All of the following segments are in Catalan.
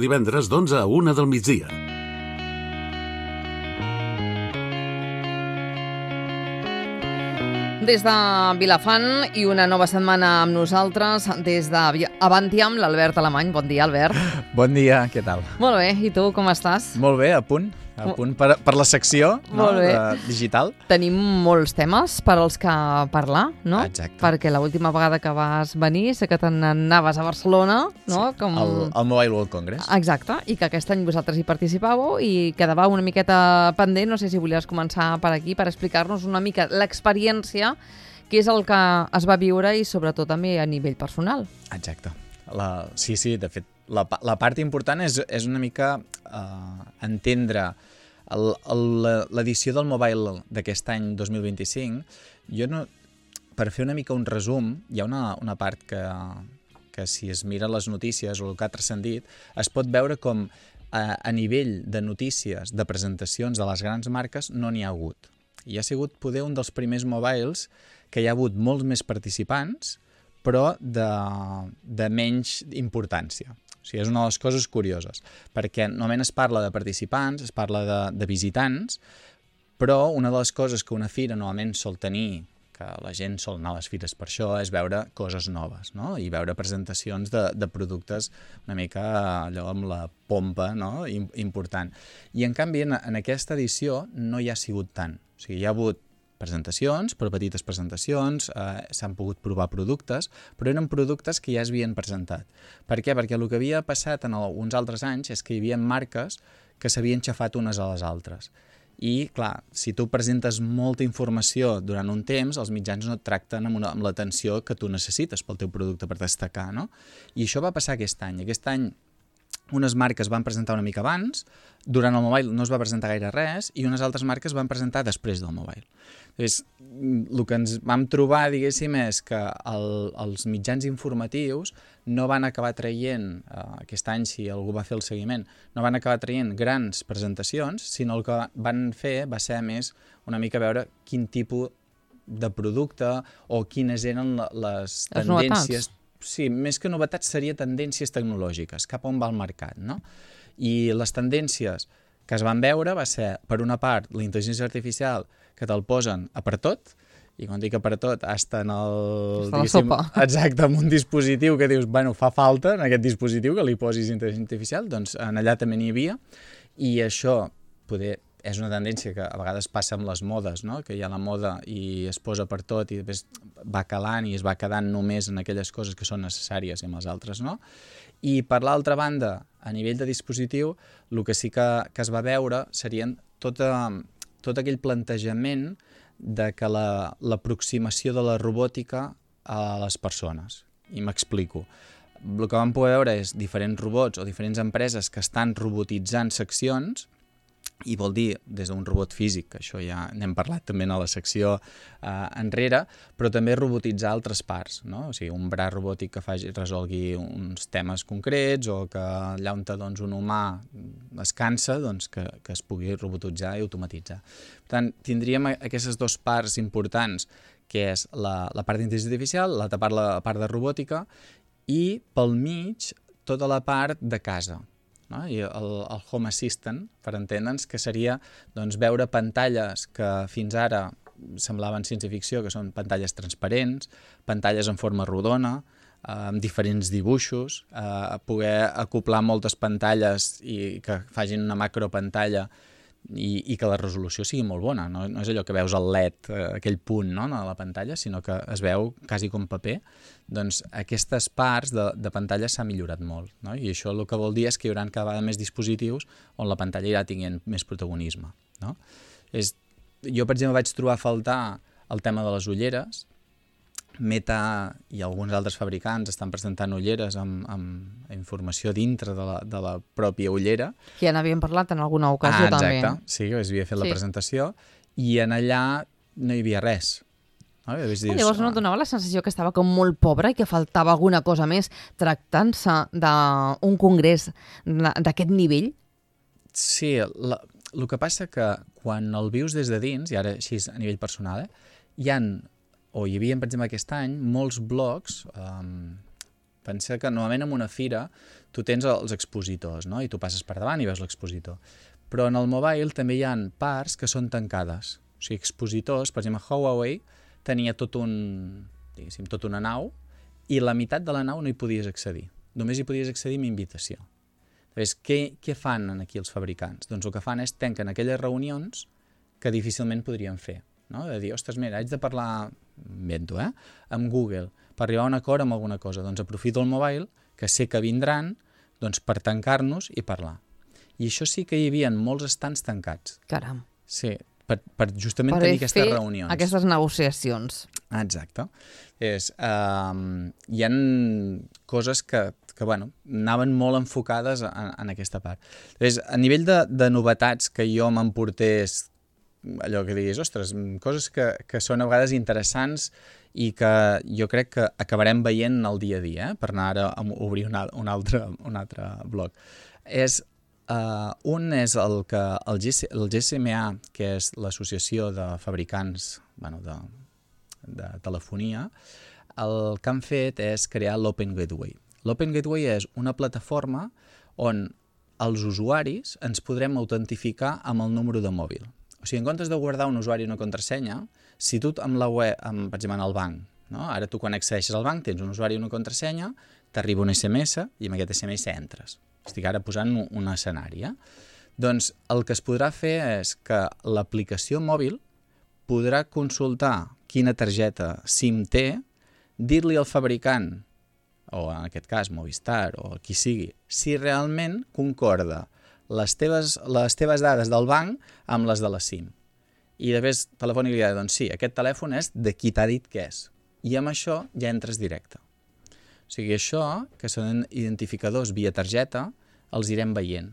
Divendres d'11 a 1 del migdia. Des de Vilafant i una nova setmana amb nosaltres, des d'Avantiam, l'Albert Alemany. Bon dia, Albert. Bon dia, què tal? Molt bé, i tu com estàs? Molt bé, a punt per la secció, no? Digital. Tenim molts temes per als que parlar, no? Exacte. Perquè l'última vegada que vas venir sé que te n'anaves a Barcelona, no? Sí, al Mobile World Congress. Exacte, i que aquest any vosaltres hi participàveu i quedava una miqueta pendent. No sé si volies començar per aquí per explicar-nos una mica l'experiència, què és el que es va viure i sobretot també a nivell personal. Exacte. Sí, de fet, la part important és una mica entendre l'edició del Mobile d'aquest any 2025. Per fer una mica un resum, hi ha una part que si es mira les notícies o el que ha transcendit, es pot veure com a nivell de notícies, de presentacions de les grans marques, no n'hi ha hagut. I ha sigut poder un dels primers mobiles que hi ha hagut molts més participants, però de menys importància. O sigui, és una de les coses curioses, perquè normalment es parla de participants, es parla de visitants, però una de les coses que una fira normalment sol tenir, que la gent sol anar a les fires per això, és veure coses noves, no? I veure presentacions de productes una mica allò amb la pompa, no? Important. I en canvi en aquesta edició no hi ha sigut tant. O sigui, hi ha hagut presentacions, però petites presentacions, s'han pogut provar productes, però eren productes que ja es havien presentat. Per què? Perquè el que havia passat en uns altres anys és que hi havia marques que s'havien xafat unes a les altres. I, clar, si tu presentes molta informació durant un temps, els mitjans no et tracten amb l'atenció que tu necessites pel teu producte per destacar, no? I això va passar aquest any. Aquest any unes marques van presentar una mica abans, durant el Mobile no es va presentar gaire res, i unes altres marques van presentar després del Mobile. Llavors, el que ens vam trobar, diguéssim, és que els mitjans informatius no van acabar traient, aquest any si algú va fer el seguiment, no van acabar traient grans presentacions, sinó el que van fer va ser més una mica veure quin tipus de producte o quines eren les tendències. Sí, més que novetats seria tendències tecnològiques, cap on va el mercat, no? I les tendències que es van veure va ser, per una part, la intel·ligència artificial, que te'l posen a per tot, i quan dic a per tot, hasta en el... Està la sopa. Exacte, amb un dispositiu que dius, bueno, fa falta en aquest dispositiu que li posis intel·ligència artificial, doncs en allà també n'hi havia, i això poder... És una tendència que a vegades passa amb les modes, no? Que hi ha la moda i es posa per tot i després va calant i es va quedant només en aquelles coses que són necessàries i amb les altres no. I per l'altra banda, a nivell de dispositiu, el que sí que es va veure serien tot aquell plantejament de que l'aproximació de la robòtica a les persones. I m'explico. El que vam poder veure és diferents robots o diferents empreses que estan robotitzant seccions, i vol dir des d'un robot físic, que això ja n'hem parlat també a la secció enrere, però també robotitzar altres parts, no? O sigui, un braç robòtic que resolgui uns temes concrets o que allà on doncs, un humà es cansa, doncs, que es pugui robotitzar i automatitzar. Per tant, tindríem aquestes dues parts importants, que és la part d'intel·ligència artificial, l'altra part, la part de robòtica, i pel mig tota la part de casa. No? I el Home Assistant, per entendre'ns, que seria doncs, veure pantalles que fins ara semblaven ciència-ficció, que són pantalles transparents, pantalles en forma rodona, amb diferents dibuixos, poder acoplar moltes pantalles i que facin una macropantalla i que la resolució sigui molt bona. No és allò que veus el LED, aquell punt no, a la pantalla, sinó que es veu quasi com paper. Doncs aquestes parts de pantalla s'ha millorat molt. No? I això el que vol dir és que hi haurà cada vegada més dispositius on la pantalla irà tinguent més protagonisme. No? Jo, per exemple, vaig trobar a faltar el tema de les ulleres. Meta i alguns altres fabricants estan presentant ulleres amb informació dintre de la pròpia ullera. Que ja n'havíem parlat en alguna ocasió també. Exacte, sí, es havia fet la presentació i en allà no hi havia res. No? Llavors no et donava la sensació que estava com molt pobre i que faltava alguna cosa més tractant-se d'un congrés d'aquest nivell? Sí, el que passa que quan el vius des de dins, i ara així a nivell personal, hi havia, per exemple, aquest any, molts blogs Pensa que normalment en una fira tu tens els expositors, no? I tu passes per davant i veus l'expositor. Però en el mobile també hi ha parts que són tancades. O sigui, expositors, per exemple, Huawei tenia tota una nau i la meitat de la nau no hi podies accedir. Només hi podies accedir amb invitació. Llavors, què fan aquí els fabricants? Doncs el que fan és tanquen aquelles reunions que difícilment podrien fer. No? De dir, ostres, mira, haig de parlar, invento, amb Google per arribar a un acord amb alguna cosa. Doncs aprofito el mobile, que sé que vindran, doncs per tancar-nos i parlar. I això sí que hi havia molts estants tancats. Caram. Sí, per justament tenir aquestes reunions. Aquestes negociacions. Exacte. Hi ha coses que anaven molt enfocades en aquesta part. Llavors, a nivell de novetats que jo m'emportés, allò que diguis, ostres, coses que són a vegades interessants i que jo crec que acabarem veient el dia a dia, per anar ara a obrir un altre bloc. Un és el GSMA, que és l'Associació de Fabricants de Telefonia. El que han fet és crear l'Open Gateway. L'Open Gateway és una plataforma on els usuaris ens podrem autentificar amb el número de mòbil. O sigui, en comptes de guardar un usuari i una contrasenya, si tu amb la web, per exemple, en el banc, no? Ara tu quan accedeixes al banc tens un usuari i una contrasenya, t'arriba un SMS i amb aquest SMS entres. Estic ara posant un escenari. Doncs el que es podrà fer és que l'aplicació mòbil podrà consultar quina targeta SIM té, dir-li al fabricant, o en aquest cas Movistar o qui sigui, si realment concorda les teves dades del banc amb les de la SIM. I després Telefònica li dirà, doncs sí, aquest telèfon és de qui t'ha dit que és. I amb això ja entres directe. O sigui, això, que són identificadors via targeta, els irem veient,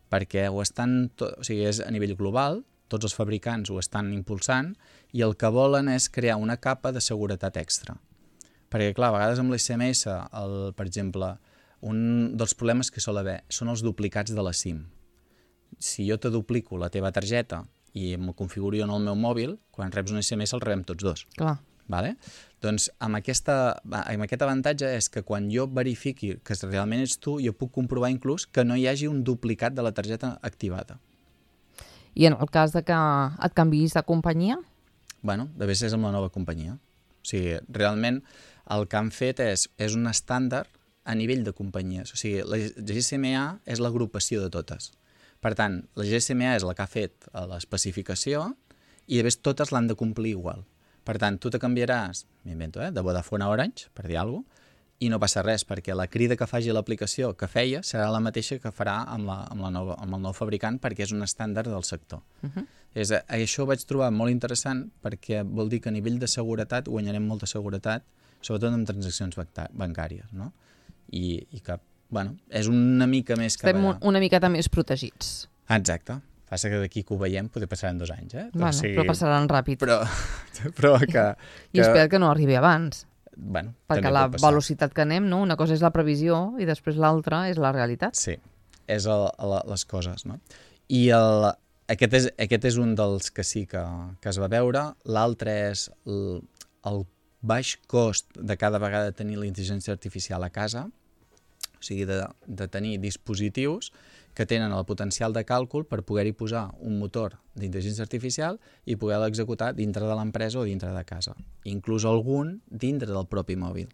perquè és a nivell global, tots els fabricants ho estan impulsant, i el que volen és crear una capa de seguretat extra. Perquè, clar, a vegades amb l'SMS, per exemple, un dels problemes que sol haver són els duplicats de la SIM. Si jo te duplico la teva targeta i em configuro en el meu mòbil, quan reps un SMS el rebem tots dos. Clar. Vale? Doncs amb aquest avantatge és que quan jo verifiqui que realment ets tu, jo puc comprovar inclús que no hi hagi un duplicat de la targeta activada. I en el cas de que et canviïs de companyia? Bueno, de vegades és amb la nova companyia. O sigui, realment el que han fet és un estàndard a nivell de companyies. O sigui, la GSMA és l'agrupació de totes. Per tant, la GSMA és la que ha fet l'especificació i de vegades totes l'han de complir igual. Per tant, tu te canviaràs, m'invento, de Vodafone a Orange, per dir alguna cosa, i no passa res, perquè la crida que faci l'aplicació que feia serà la mateixa que farà amb el nou fabricant, perquè és un estàndard del sector. Això ho vaig trobar molt interessant perquè vol dir que a nivell de seguretat guanyarem molta seguretat, sobretot en transaccions bancàries, no? I que, bueno, és una mica més que... Estem una miqueta més protegits. Exacte. Passa que d'aquí que ho veiem poder passaran 2 anys, Bueno, però passaran ràpid. Però que... I espero que no arribi abans. Bueno, perquè la velocitat que anem, no? Una cosa és la previsió i després l'altra és la realitat. Sí, és les coses, no? I aquest és un dels que sí que es va veure. L'altre és el baix cost de cada vegada tenir la intel·ligència artificial a casa, o sigui, de tenir dispositius que tenen el potencial de càlcul per poder-hi posar un motor d'intel·ligència artificial i poder-la executar dintre de l'empresa o dintre de casa. Inclús algun dintre del propi mòbil.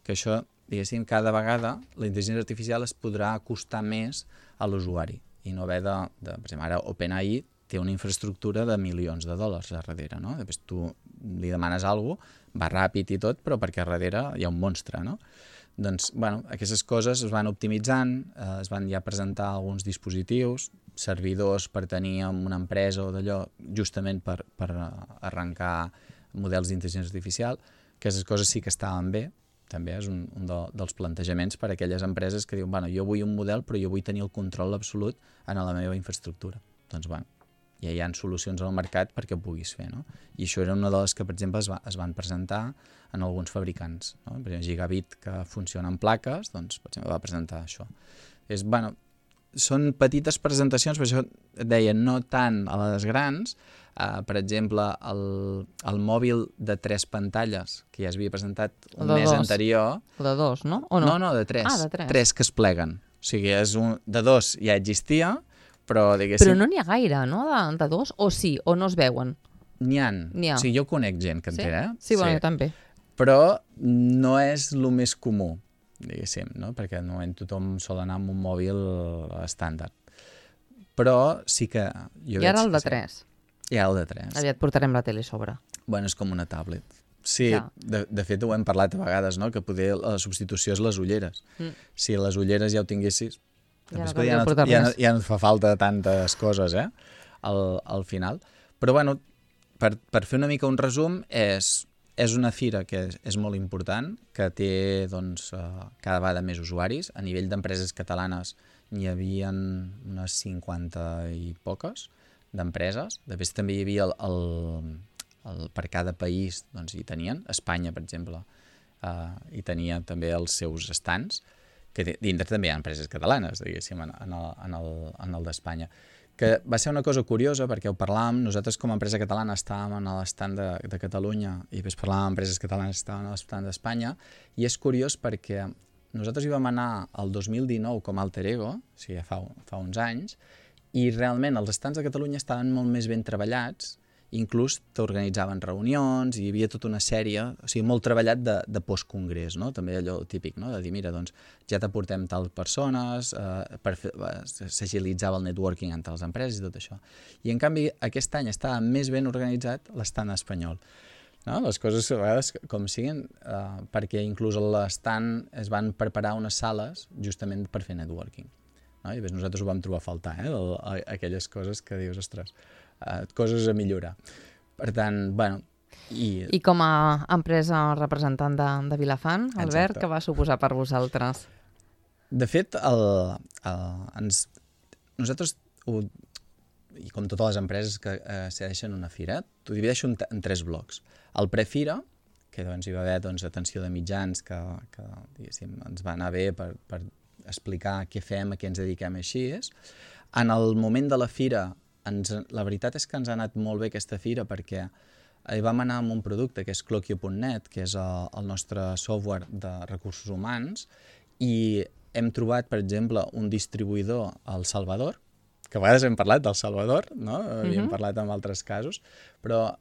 Que això, diguéssim, cada vegada la intel·ligència artificial es podrà acostar més a l'usuari i no haver per exemple, ara OpenAI té una infraestructura de milions de dòlars a darrere, no? Després tu li demanes alguna cosa, va ràpid i tot, però perquè a darrere hi ha un monstre, no? Doncs, bueno, aquestes coses es van optimitzant, es van ja presentar alguns dispositius, servidors per tenir en una empresa o d'allò, justament per arrencar models d'intel·ligència artificial. Aquestes coses sí que estaven bé, també és un dels plantejaments per a aquelles empreses que diuen, bueno, jo vull un model però jo vull tenir el control absolut en la meva infraestructura. Doncs, bueno, ja hi ha solucions al mercat perquè ho puguis fer, no? I això era una de les que, per exemple, es van presentar en alguns fabricants, no? Per exemple, Gigabit, que funciona en plaques, doncs, per exemple, va presentar això. són petites presentacions, per això et deia, no tant a les grans. Per exemple, el mòbil de 3 pantalles, que ja es havia presentat un mes anterior. El de 2, no? O no? No, de 3. Ah, de 3. 3 que es pleguen. O sigui, de 2 ja existia, però diguéssim... Però no n'hi ha gaire, no?, de 2? O sí, o no es veuen? N'hi ha. O sigui, jo conec gent que en té, Sí, bueno, jo també. Però no és el més comú, diguéssim, no? Perquè no tothom sol anar amb un mòbil estàndard. Però sí que... I ara el de 3. I ara el de 3. Aviat portarem la tele a sobre. Bueno, és com una tablet. Sí, de fet ho hem parlat a vegades, no? Que poder la substitució és les ulleres. Si les ulleres ja ho tinguessis, ja no et fa falta tantes coses, al final. Però bueno, per fer una mica un resum, és una fira que és molt important, que té doncs, cada vegada més usuaris. A nivell d'empreses catalanes n'hi havia unes 50 i poques d'empreses. Després també hi havia per cada país, doncs hi tenien. Espanya, per exemple, hi tenia també els seus stands, que dintre també hi ha empreses catalanes, diguéssim, en el d'Espanya. Que va ser una cosa curiosa, perquè ho parlàvem, nosaltres com a empresa catalana estàvem en l'estand de Catalunya i després parlàvem amb empreses catalanes que estaven a l'estand d'Espanya, i és curiós perquè nosaltres hi vam anar el 2019 com a alter ego, o sigui, fa uns anys, i realment els estands de Catalunya estaven molt més ben treballats, inclús t'organitzaven reunions, i hi havia tota una sèrie, o sigui, molt treballat de postcongrés, no? També allò típic, no? De dir, mira, doncs ja t'aportem tals persones, s'agilitzava el networking entre les empreses i tot això. I en canvi aquest any estava més ben organitzat l'estand espanyol. No? Les coses a vegades com siguin, perquè inclús a l'estand es van preparar unes sales justament per fer networking. No? I nosaltres ho vam trobar a faltar, aquelles coses que dius, ostres, coses a millorar. Per tant, bueno... I com a empresa representant de Vilafant, Albert, què va suposar per vosaltres? De fet, nosaltres, i com totes les empreses que segueixen una fira, t'ho divideixo en 3 blocs. El prefira, que doncs, hi va haver atenció de mitjans que ens va anar bé per explicar què fem, a què ens dediquem així. En el moment de la fira, la veritat és que ens ha anat molt bé aquesta fira perquè hi vam anar amb un producte que és Cloquio.net, que és el nostre software de recursos humans, i hem trobat, per exemple, un distribuïdor al Salvador, que a vegades hem parlat del Salvador, no? Havíem parlat en altres casos, però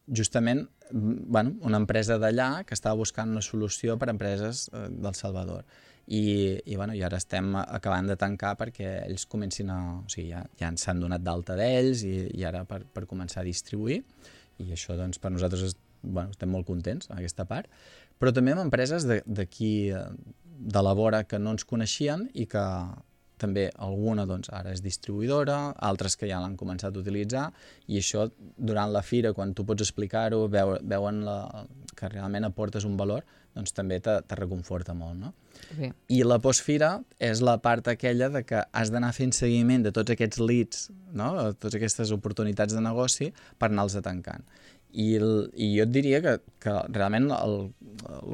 justament una empresa d'allà que estava buscant una solució per a empreses del Salvador. I ara estem acabant de tancar perquè ells comencin o sigui, ja s'han donat d'alta d'ells i ara per començar a distribuir, i això doncs, per nosaltres estem molt contents en aquesta part, però també amb empreses d'aquí de la vora que no ens coneixien i que també alguna doncs, ara és distribuïdora, altres que ja l'han començat a utilitzar, i això durant la fira, quan tu pots explicar-ho, veuen que realment aportes un valor, doncs també te reconforta molt, no? Sí. I la postfira és la part aquella de que has d'anar fent seguiment de tots aquests leads, no? Totes aquestes oportunitats de negoci per anar-los tancant. I jo et diria que realment el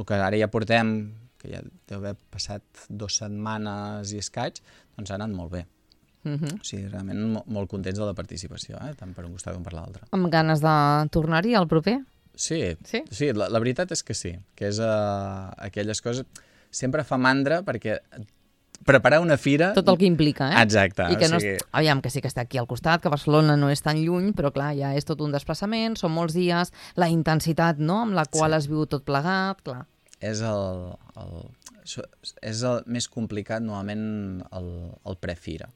que ara ja portem, que ja deu haver passat 2 setmanes i escaig, doncs ha anat molt bé. O sigui, realment molt contents de la participació, tant per un costat com per l'altre. Amb ganes de tornar-hi al proper? Sí, la veritat és que sí, que és aquelles coses... Sempre fa mandra perquè preparar una fira... Tot el que implica, Exacte. I que aviam, que sí que està aquí al costat, que Barcelona no és tan lluny, però clar, ja és tot un desplaçament, són molts dies, la intensitat, no?, amb la qual es viu tot plegat, clar. És el més complicat, normalment, el prefira,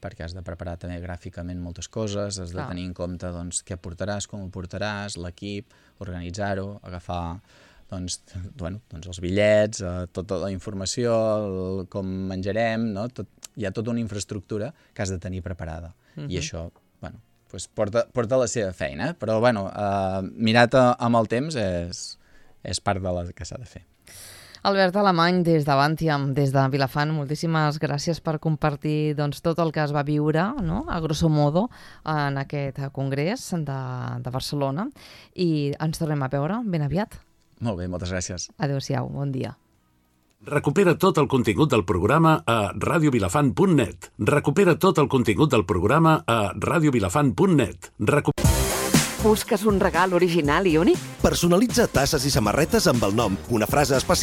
perquè has de preparar també gràficament moltes coses, has de tenir en compte doncs, què portaràs, com ho portaràs, l'equip, organitzar-ho, agafar doncs, els bitllets, tota la informació, com menjarem, no? Hi ha tota una infraestructura que has de tenir preparada. I això porta la seva feina, però mirat amb el temps és part de la que s'ha de fer. Albert Alemany, des d'Avantiam, des de Vilafant, moltíssimes gràcies per compartir tot el que es va viure, no?, a grosso modo, en aquest congrés de Barcelona, i ens tornem a veure ben aviat. Molt bé, moltes gràcies. Adéu-siau, bon dia. Recupera tot el contingut del programa a radiovilafant.net. Recupera tot el contingut del programa a radiovilafant.net. Busques un regal original i únic? Personalitza tasses i samarretes amb el nom, una frase especial